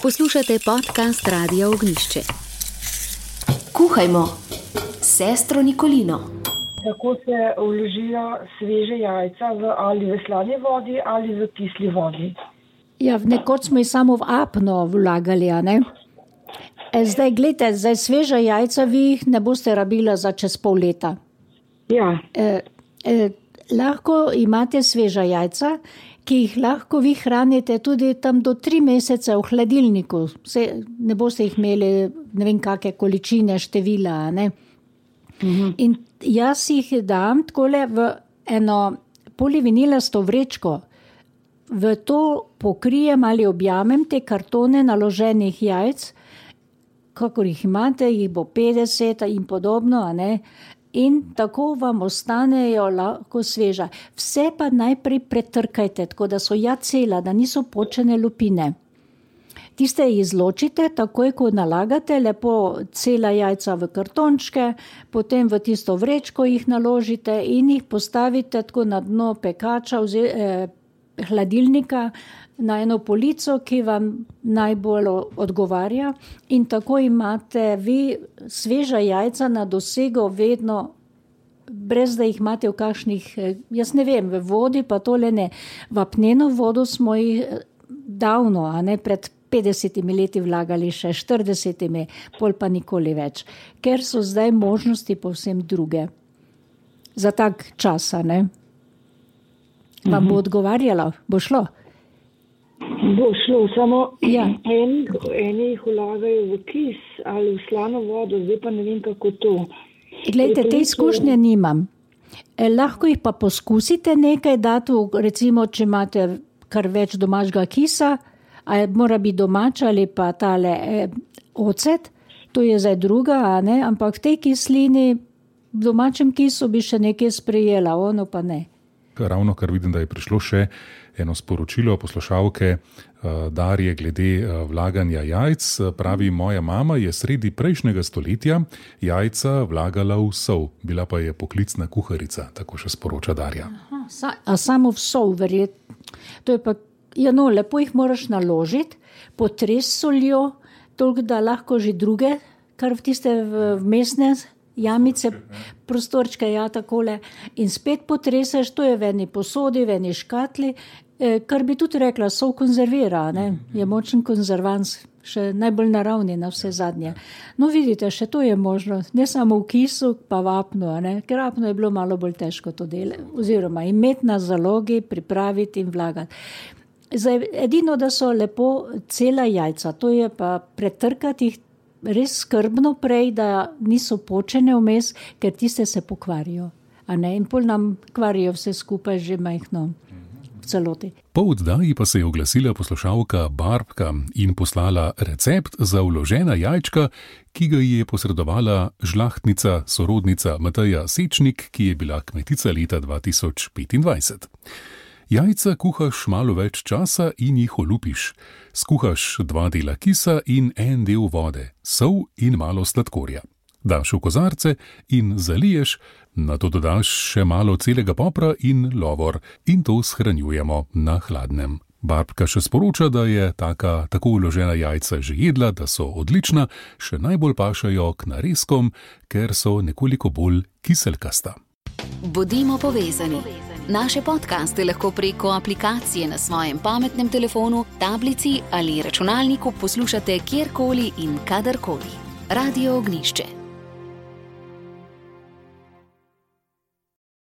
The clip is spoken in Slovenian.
Poslušate podcast Radia Ognjišče. Kuhajmo s sestro Nikolino. Tako se vložijo sveže jajca ali v slani vodi ali v kisli vodi. Ja, nekoč smo jih samo v apno vlagali, a ne? Zdaj, gledajte, zdaj sveža jajca vi jih ne boste rabila za čez pol leta. Ja. Lahko imate sveža jajca, ki jih lahko vi hranite tudi tam do 3 mesece v hladilniku. Ne boste jih imeli ne vem kakšne količine, števila, a ne? In jaz jih dam takole v eno polivinilasto vrečko. V to pokrijem ali objamem te kartone naloženih jajc, kakor jih imate, jih bo 50 in podobno, a ne? In tako vam ostanejo lahko sveža. Vse pa najprej pretrkajte, tako da so cela, da niso počene lupine. Tiste izločite, takoj ko nalagate, lepo cela jajca v kartončke, potem v tisto vrečko jih naložite in jih postavite tako na dno pekača, hladilnika, na eno polico, ki vam najbolj odgovarja, in tako imate vi sveža jajca na dosego vedno, brez da jih imate v kakšnih, jaz ne vem, v vodi pa tole ne. V apneno vodo smo jih davno, a ne pred 50 leti vlagali, še 40, pol pa nikoli več, ker so zdaj možnosti povsem druge. Za tak čas, a ne? Vam bo odgovarjalo? Bo šlo? Bo šlo, samo ja. Eni jih vlagajo v kis ali v slano vodo, zdaj pa ne vem kako to. Glejte, te izkušnje nimam. Lahko jih pa poskusite nekaj dati, recimo, če imate kar več domačega kisa, ali mora biti domač ali pa tale ocet, to je zdaj druga, a ne? Ampak v tej kislini, v domačem kisu bi še nekaj sprejela, ono pa ne. Ravno kar vidim, da je prišlo še eno sporočilo poslušalke Darje glede vlaganja jajc. Pravi, moja mama je sredi prejšnjega stoletja jajca vlagala v sol, bila pa je poklicna kuharica, tako še sporoča Darja. A samo v sol, verjetno. To je pa, lepo jih moraš naložiti, potresti soljo, toliko da lahko že druge, kar v tiste vmesne jamice, prostorčke, takole, in spet potreseš, to je v eni posodi, v eni škatli, kar bi tudi rekla, sol konzervira, ne? Je močen konzervans, še najbolj naravni na vse zadnje. No, vidite, še to je možno, ne samo v kisu, pa v apnu, ne? Ker apno je bilo malo bolj težko to delati, oziroma imeti na zalogi, pripraviti in vlagati. Zdaj, edino, da so lepo cela jajca, to je pa pretrkati jih res skrbno prej, da niso počene vmes, ker tiste se pokvarijo. A ne? In pol nam kvarijo vse skupaj že majhno v celoti. Po oddaji pa se je oglasila poslušalka Barbka in poslala recept za vložena jajčka, ki ga je posredovala žlahtnica, sorodnica Mateja Sečnik, ki je bila kmetica leta 2025. Jajca kuhaš malo več časa in jih olupiš. Skuhaš 2 dela kisa in 1 del vode, sol in malo sladkorja. Daš v kozarce in zaliješ, nato dodaš še malo celega popra in lovor in to shranjujemo na hladnem. Barbka še sporoča, da je tako vložena jajca že jedla, da so odlična, še najbolj pašajo k narezkom, ker so nekoliko bolj kiselkasta. Bodimo povezani. Naše podcaste lahko preko aplikacije na svojem pametnem telefonu, tablici ali računalniku poslušate kjerkoli in kadarkoli. Radio Ognjišče.